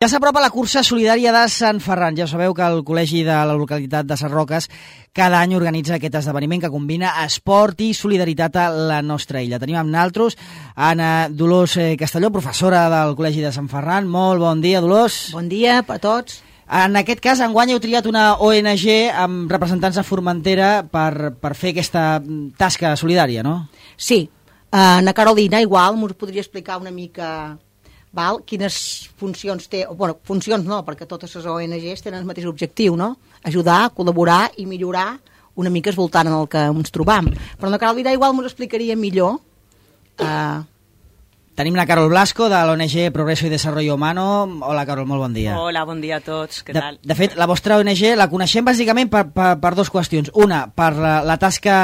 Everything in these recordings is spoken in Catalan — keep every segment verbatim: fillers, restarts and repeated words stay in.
Ja s'apropa la cursa solidària de Sant Ferran. Ja sabeu que el col·legi de la localitat de Ses Roques cada any organitza aquest esdeveniment que combina esport i solidaritat a la nostra illa. Tenim amb naltros Anna Dolors Castelló, professora del col·legi de Sant Ferran. Molt bon dia, Dolors. Bon dia a tots. En aquest cas, enguany heu triat una O N G amb representants de Formentera per, per fer aquesta tasca solidària, no? Sí. Ana Carolina, igual, m'ho podria explicar una mica... Val? Quines funcions té, o, bueno, funcions no, perquè totes les O N Gs tenen el mateix objectiu, no? Ajudar, col·laborar i millorar una mica esvoltant en el que ens trobam. Però la Carolina igual m'ho explicaria millor. Uh... Tenim la Carol Blasco, de l'O N G Progreso y Desarrollo Humano. Hola, Carol, molt bon dia. Hola, bon dia a tots, què de, tal? De fet, la vostra O N G la coneixem bàsicament per, per, per dues qüestions. Una, per la, la tasca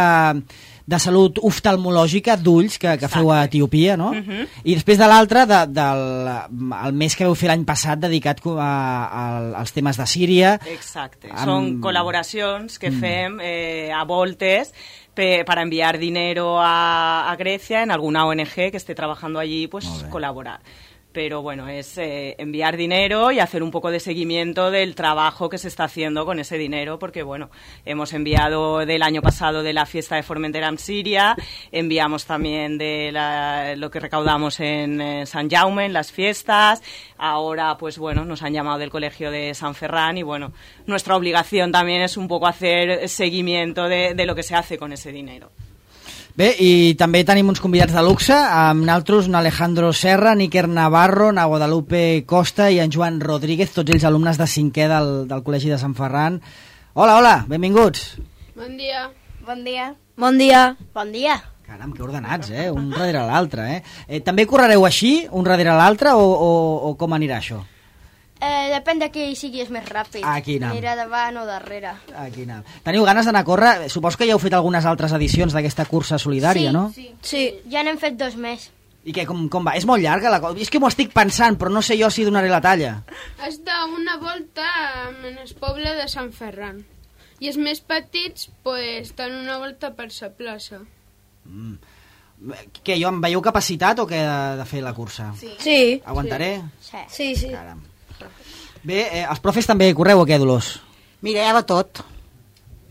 de salut oftalmològica d'ulls que, que feu a Etiòpia, no? Uh-huh. I després de l'altra, de, del el mes que vau fer l'any passat dedicat a, a, als temes de Síria. Exacte, amb... són col·laboracions que mm. fem eh, a voltes pe, para enviar dinero a, a Grecia en alguna O N G que esté trabajando allí, pues colaborar. Pero bueno, es eh, enviar dinero y hacer un poco de seguimiento del trabajo que se está haciendo con ese dinero, porque bueno, hemos enviado del año pasado de la fiesta de Formentera en Siria, enviamos también de la, lo que recaudamos en eh, San Jaume, en las fiestas, ahora pues bueno, nos han llamado del colegio de San Ferran y bueno, nuestra obligación también es un poco hacer seguimiento de, de lo que se hace con ese dinero. Bé, i també tenim uns convidats de luxe, amb naltros, un Alejandro Serra, Níker Navarro, na Guadalupe Costa i en Joan Rodríguez, tots ells alumnes de cinquè del, del Col·legi de Sant Ferran. Hola, hola, benvinguts. Bon dia. Bon dia. Bon dia. Bon dia. Caram, que ordenats, eh? Un darrere l'altre, eh? eh? També correreu així, un darrere l'altre, o, o, o com anirà això? Eh, depèn de qui siguis més ràpid. Aquí anem. Anirà davant o darrere. Aquí anem. Teniu ganes d'anar a córrer? Suposo que ja heu fet algunes altres edicions d'aquesta cursa solidària, sí, no? Sí, sí. Ja n'hem fet dos més. I què, com, com va? És molt llarga la cosa? És que m'ho estic pensant, però no sé jo si donaré la talla. Has de una volta en el poble de Sant Ferran. I els més petits, pues, dan una volta per sa plaça. Mm. Què, jo em veieu capacitat o què de, de fer la cursa? Sí. sí. Aguantaré? Sí. Sí, sí. Caram. Bé, eh, els profes també correu o què, Dolors? Mira, hi ha de tot.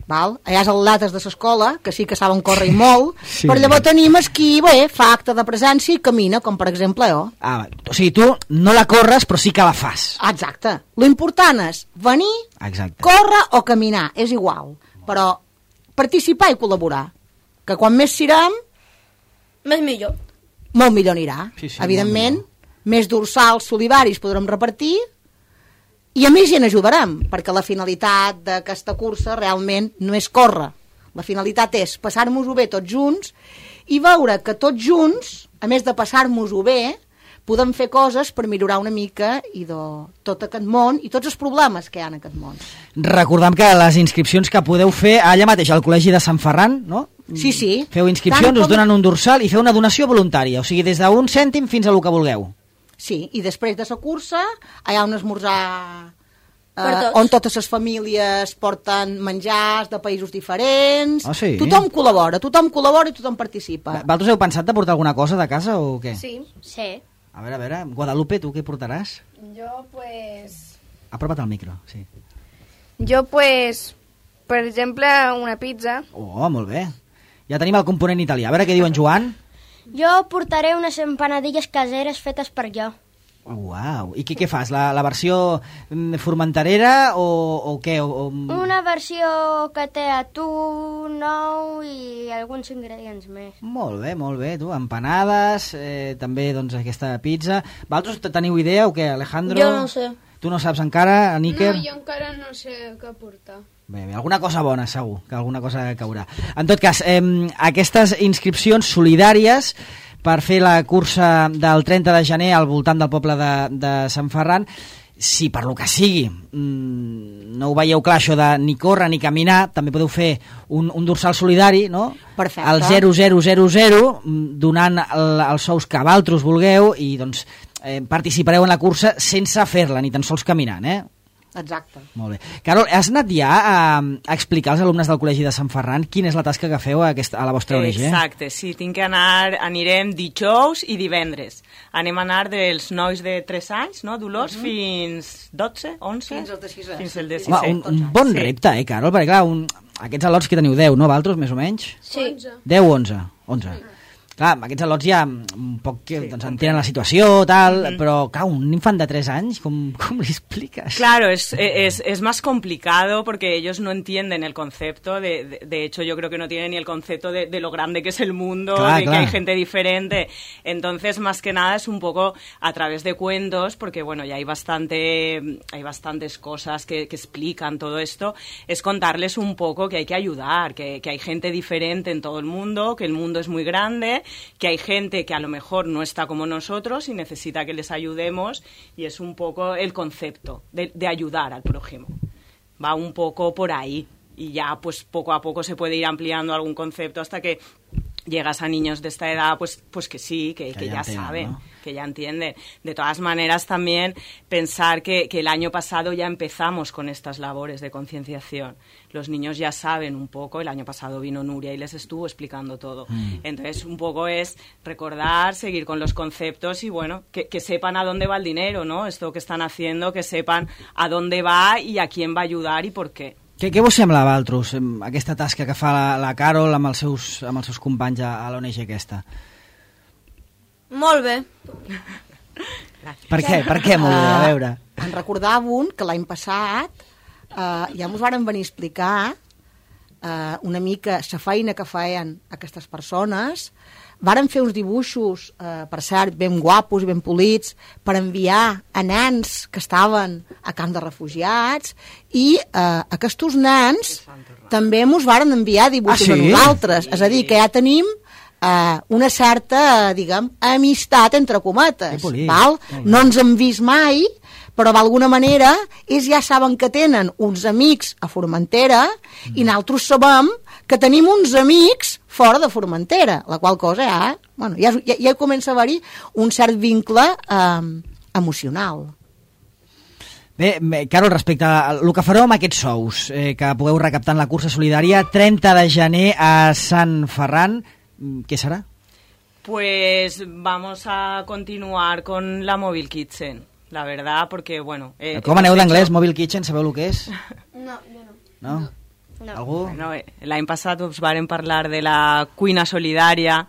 Val? Allà és els lates de l'escola, que sí que saben córrer molt, sí. Però llavors tenim el qui bé, fa acte de presència i camina, com per exemple jo. Ah, o sigui, tu no la corres, però sí que la fas. Exacte. Lo important és venir, Exacte. córrer o caminar, és igual. Però participar i col·laborar. Que quan més sirem... Més millor. Molt millor anirà. Sí, sí, evidentment, més dorsals solidaris podrem repartir i a més hi n'ajudarem, perquè la finalitat d'aquesta cursa realment no és córrer. La finalitat és passar-nos-ho bé tots junts i veure que tots junts, a més de passar-nos-ho bé, podem fer coses per millorar una mica i de tot aquest món i tots els problemes que hi ha en aquest món. Recordem que les inscripcions que podeu fer allà mateix al Col·legi de Sant Ferran, no? Sí, sí. Feu inscripcions, com... us donen un dorsal i feu una donació voluntària, o sigui, des d'un cèntim fins a lo que vulgueu. Sí, i després de la cursa hi ha un esmorzar eh, on totes les famílies porten menjars de països diferents. Ah, sí? Tothom col·labora, tothom col·labora i tothom participa. Vosaltres heu pensat de portar alguna cosa de casa o què? Sí. Sí. A veure, a veure, Guadalupe, tu què portaràs? Jo, pues... Apropa't al micro, sí. Jo, pues, per exemple, una pizza. Oh, molt bé. Ja tenim el component italià. A veure què diu en Joan. Jo portaré unes empanadilles caseres fetes per jo. Oh, uau. I què, què fas? La, la versió formenterera o, o què? O, o... Una versió que té atún, nou i alguns ingredients més. Molt bé, molt bé. Tu, empanades, eh, també doncs, aquesta pizza. Vosaltres teniu idea o què, Alejandro? Jo no sé. Tu no saps encara, Níker? No, jo encara no sé què portar. Bé, bé, alguna cosa bona, segur, que alguna cosa caurà. En tot cas, eh, aquestes inscripcions solidàries per fer la cursa del trenta de gener al voltant del poble de, de Sant Ferran, si per lo que sigui mmm, no ho veieu clar això de ni córrer ni caminar, també podeu fer un, un dorsal solidari, no? Perfecte. Al zero zero zero zero, donant el, els sous que vosaltres vulgueu i doncs eh, participareu en la cursa sense fer-la, ni tan sols caminant, eh? Exacte. Molt bé. Carol, has anat ja a, a explicar als alumnes del Col·legi de Sant Ferran quina és la tasca que feu a, aquesta, a la vostra O N G? Exacte, sí, tinc que anar, anirem dijous i divendres. Anem a anar dels nois de tres anys, no, Dolors, uh -huh. fins dotze, onze? Fins al de sisè. Fins al de Home, sisè. un, un bon sí. repte, eh, Carol? Perquè, clar, un, aquests al·lots que teniu deu, no, Valtros, més o menys? Sí. deu o onze? onze. Sí. Clar, aquests al·lots ja un poc que sí, doncs, entenen la situació, tal, mm-hmm. però, clar, un infant de tres anys, com, com li expliques? Claro, es, es, es más complicado porque ellos no entienden el concepto, de, de, de hecho yo creo que no tienen ni el concepto de, de lo grande que es el mundo, claro, de claro. que hay gente diferente, entonces más que nada es un poco a través de cuentos, porque bueno, ya hay bastante, hay bastantes cosas que, que explican todo esto, es contarles un poco que hay que ayudar, que, que hay gente diferente en todo el mundo, que el mundo es muy grande, que hay gente que a lo mejor no está como nosotros y necesita que les ayudemos, y es un poco el concepto de, de ayudar al prójimo. Va un poco por ahí y ya pues poco a poco se puede ir ampliando algún concepto hasta que llegas a niños de esta edad, pues, pues que sí, que, que, que ya, ya entienden, saben, ¿no? Que ya entienden. De todas maneras, también pensar que, que el año pasado ya empezamos con estas labores de concienciación. Los niños ya saben un poco, el año pasado vino Nuria y les estuvo explicando todo. Mm. Entonces, un poco es recordar, seguir con los conceptos y, bueno, que, que sepan a dónde va el dinero, ¿no? Esto que están haciendo, que sepan a dónde va y a quién va a ayudar y por qué. Què, què vos sembla, Valtros, aquesta tasca que fa la, la Carol amb els seus, amb els seus companys a, a l'O N G aquesta? Molt bé. Per què? Per què molt bé? A veure. Uh, en recordava un que l'any passat uh, ja ens varen venir a explicar uh, una mica la feina que feien aquestes persones. Varen fer uns dibuixos, eh, per cert, ben guapos i ben polits, per enviar a nens que estaven a camps de refugiats, i eh, aquests nens també ens varen enviar dibuixos ah, sí? a nosaltres. Sí. És a dir, que ja tenim eh, una certa, diguem, amistat, entre cometes. Val? No ens hem vist mai, però d'alguna manera ells ja saben que tenen uns amics a Formentera mm. i nosaltres sabem que tenim uns amics fora de Formentera, la qual cosa ja, bueno, ja, ja, ja comença a haver-hi un cert vincle eh, emocional. Bé, bé, Carol, respecte al que fareu amb aquests sous eh, que pugueu recaptar en la cursa solidària, trenta de gener a Sant Ferran, què serà? Pues vamos a continuar con la Mobile Kitchen, la verdad, porque, bueno... Eh, Com aneu d'anglès, Mobile Kitchen, sabeu el que és? No, jo no. No? no. No. ¿Algú? Bueno, l'any passat us varen parlar de la cuina solidària,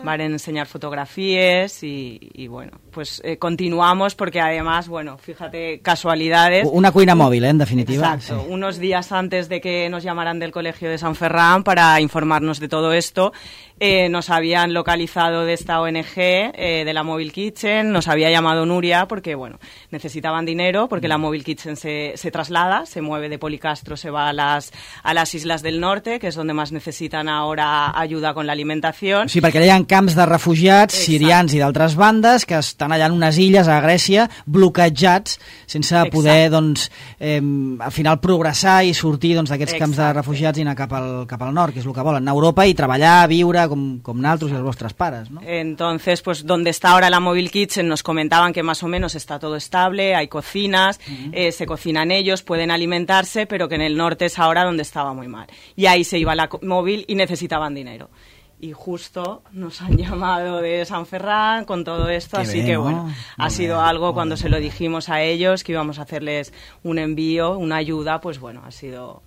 varen enseñar fotografías y, y bueno, pues eh, continuamos porque además, bueno, fíjate, casualidades. Una cuina móvil, ¿eh? En definitiva. Exacto, sí. Unos días antes de que nos llamaran del Colegio de San Ferran para informarnos de todo esto, eh, nos habían localizado de esta O N G, eh, de la Mobile Kitchen, nos había llamado Nuria porque, bueno, necesitaban dinero porque la Mobile Kitchen se, se traslada, se mueve de Policastro, se va a las, a las Islas del Norte, que es donde más necesitan ahora ayuda con la alimentación. Sí, perquè hi ha camps de refugiats Exacte. Sirians i d'altres bandes que estan allà en unes illes a Grècia bloquejats sense Exacte. Poder, doncs, eh, al final progressar i sortir doncs, d'aquests camps de refugiats i anar cap al, cap al nord, que és el que volen, anar a Europa i treballar, viure com, com naltros i els vostres pares, ¿no? Entonces, pues donde está ahora la Mobile Kitchen nos comentaban que más o menos está todo estable, hay cocinas, uh-huh. eh, se cocinan ellos, pueden alimentarse, pero que en el norte es ahora donde estaba muy mal. Y ahí se iba la móvil y necesitaban dinero. Y justo nos han llamado de San Ferran con todo esto, Qué así bien, que bueno, ¿no? ha sido bien, algo cuando bien. Se lo dijimos a ellos que íbamos a hacerles un envío, una ayuda, pues bueno, ha sido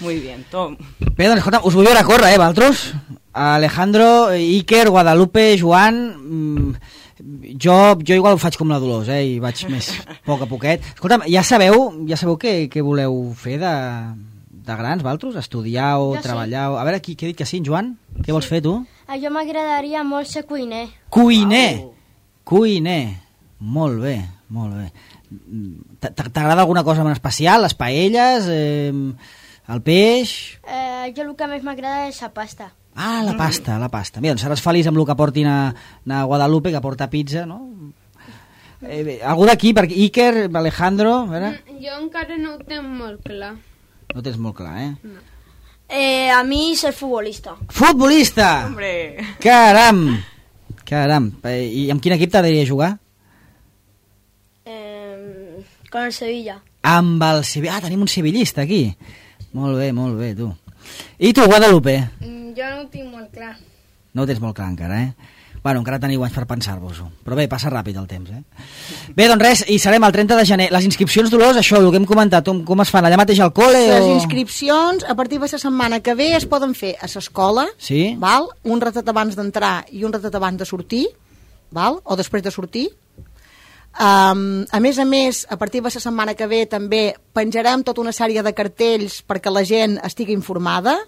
muy bien. Tom. Bé, doncs escolta, us vull veure córrer, eh, Valtros? Alejandro, Iker, Guadalupe, Joan... Jo, jo igual ho faig com la Dolors, eh, i vaig més poc a poquet. Escolta, ja sabeu, ja sabeu què, què voleu fer de... de grans, Valtros? Estudiar o jo treballar? Sí. O... A veure, qui, qui ha dit que sí, Joan? Què vols fer, tu? A jo m'agradaria molt ser cuiner. Cuiner! Wow. Cuiner! Molt bé, molt bé. T'agrada alguna cosa en especial? Les paelles? Eh, el peix? Eh, jo el que més m'agrada és la pasta. Ah, la pasta, la pasta. Mira, doncs seràs feliç amb el que portin a, a Guadalupe, que porta pizza, no? Eh, bé, algú d'aquí, perquè Iker, Alejandro... A veure. Jo encara no ho tenc molt clar. No tens molt clar, eh? No. Eh, a mi ser futbolista. Futbolista! Hombre! Caram! Caram! I amb quin equip t'agradaria jugar? Eh, con el Sevilla. amb el Sevilla. Ah, tenim un sevillista aquí. Molt bé, molt bé, tu. I tu, Guadalupe? Mm, jo no ho tinc molt clar. No ho tens molt clar encara, eh? Bueno, encara teniu anys per pensar-vos-ho. Però bé, passa ràpid el temps, eh? Bé, doncs res, i serem el trenta de gener. Les inscripcions, Dolors, això, el que hem comentat, com, com es fan? Allà mateix al col·le? Les o... inscripcions, a partir de la setmana que ve, es poden fer a l'escola, sí? val? Un ratet abans d'entrar i un ratet abans de sortir, val? O després de sortir. Um, a més a més, a partir de la setmana que ve també penjarem tota una sèrie de cartells perquè la gent estigui informada.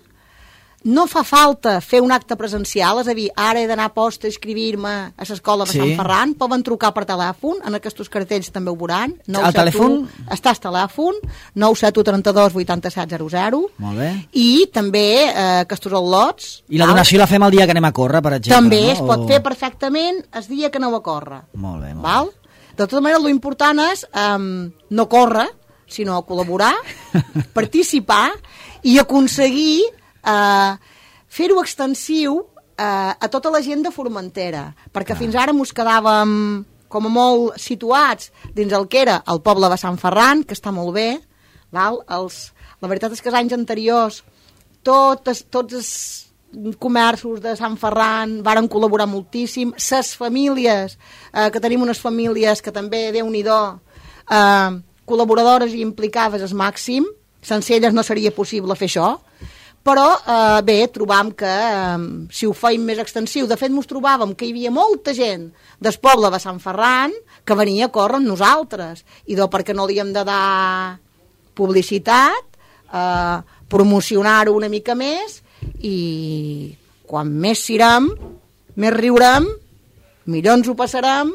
No fa falta fer un acte presencial, és a dir, ara he d'anar a posta a inscribir-me a l'escola de sí. Sant Ferran, poden trucar per telèfon, en aquests cartells també ho veuran. El telèfon? Està al telèfon, nou set u trenta-dos vuitanta-set zero zero. Molt bé. I també eh, aquests al·lots. I la donació val? La fem el dia que anem a córrer, per exemple. També no? es pot o... fer perfectament el dia que aneu a córrer. Molt bé, molt val? bé. De tota manera, l'important és um, no córrer, sinó col·laborar, participar i aconseguir Uh, fer-ho extensiu uh, a tota la gent de Formentera, perquè ah. fins ara mos quedàvem com a molt situats dins el que era el poble de Sant Ferran, que està molt bé, val? Els, la veritat és que els anys anteriors tots, tots els comerços de Sant Ferran varen col·laborar moltíssim, ses famílies, uh, que tenim unes famílies que també, Déu-n'hi-do, uh, col·laboradores i implicades al màxim, sense elles no seria possible fer això. Però eh, bé, trobam que eh, si ho feim més extensiu, de fet mos trobàvem que hi havia molta gent del poble de Sant Ferran que venia a córrer amb nosaltres, i do perquè no li hem de dar publicitat, eh, promocionar-ho una mica més, i quan més sirem, més riurem, millor ens ho passarem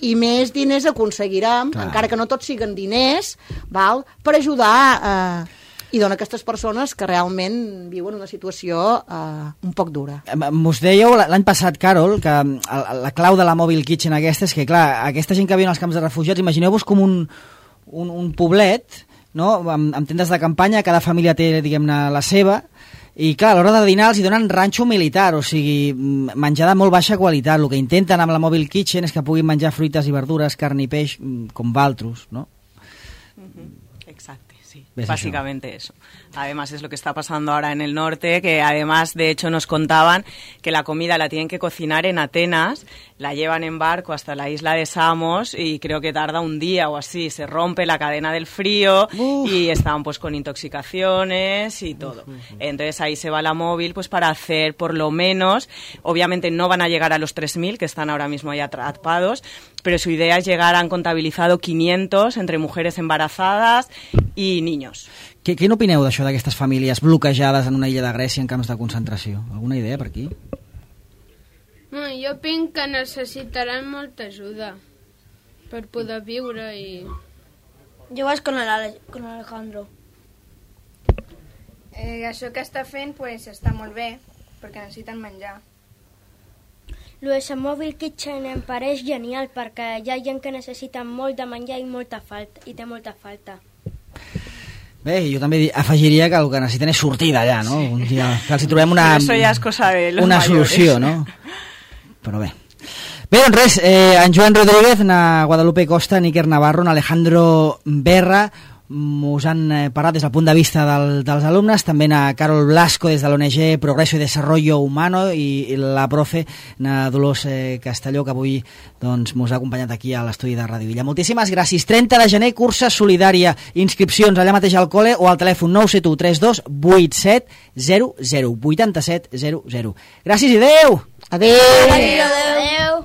i més diners aconseguirem, clar, encara que no tots siguen diners, val? Per ajudar eh, i dona aquestes persones que realment viuen una situació eh, un poc dura. Mos dèieu l'any passat, Carol, que la clau de la Mobile Kitchen aquesta és que, clar, aquesta gent que viu als camps de refugiats, imagineu-vos com un, un, un poblet, no?, amb, amb tendes de campanya, cada família té, diguem-ne, la seva, i clar, a l'hora de dinar els hi donen ranxo militar, o sigui, menjar de molt baixa qualitat. El que intenten amb la Mobile Kitchen és que puguin menjar fruites i verdures, carn i peix, com valtros, no? Uh-huh. Exacto. Sí, ¿ves básicamente eso? eso. Además es lo que está pasando ahora en el norte, que además de hecho nos contaban que la comida la tienen que cocinar en Atenas, la llevan en barco hasta la isla de Samos y creo que tarda un día o así, se rompe la cadena del frío. Uf. Y están pues con intoxicaciones y todo. Uf, uf, uf. Entonces ahí se va la móvil pues para hacer por lo menos, obviamente no van a llegar a los tres mil que están ahora mismo ya atrapados, pero su idea es llegar, han contabilizado quinientos entre mujeres embarazadas i niños. Què, què n'opineu d'això, d'aquestes famílies bloquejades en una illa de Grècia en camps de concentració? Alguna idea per aquí? No, jo penso que necessitaran molta ajuda per poder viure i... Jo vaig con, el, con Alejandro. Eh, això que està fent pues, està molt bé, perquè necessiten menjar. Lo de la Mobile Kitchen em pareix genial, perquè hi ha gent que necessita molt de menjar i molta falta, i té molta falta. Bé, jo també afegiria que el que necessiten és sortir d'allà, no? Sí. Un dia, que els hi trobem una, Eso ja és cosa de los una mayores. solució, no? Però bé. Bé, doncs res, eh, en Joan Rodríguez, na Guadalupe Costa, Níker Navarro, en Alejandro Berra, us han eh, parlat des del punt de vista del, dels alumnes, també na Carol Blasco des de l'O N G Progreso y Desarrollo Humano i, i la profe na Dolors eh, Castelló, que avui doncs, mos ha acompanyat aquí a l'estudi de Ràdio Villa. Moltíssimes gràcies. trenta de gener, cursa solidària, inscripcions allà mateix al col·le o al telèfon nou set u tres dos vuit set zero zero vuit set zero zero. Gràcies i adeu! Adeu! Adeu! Adeu!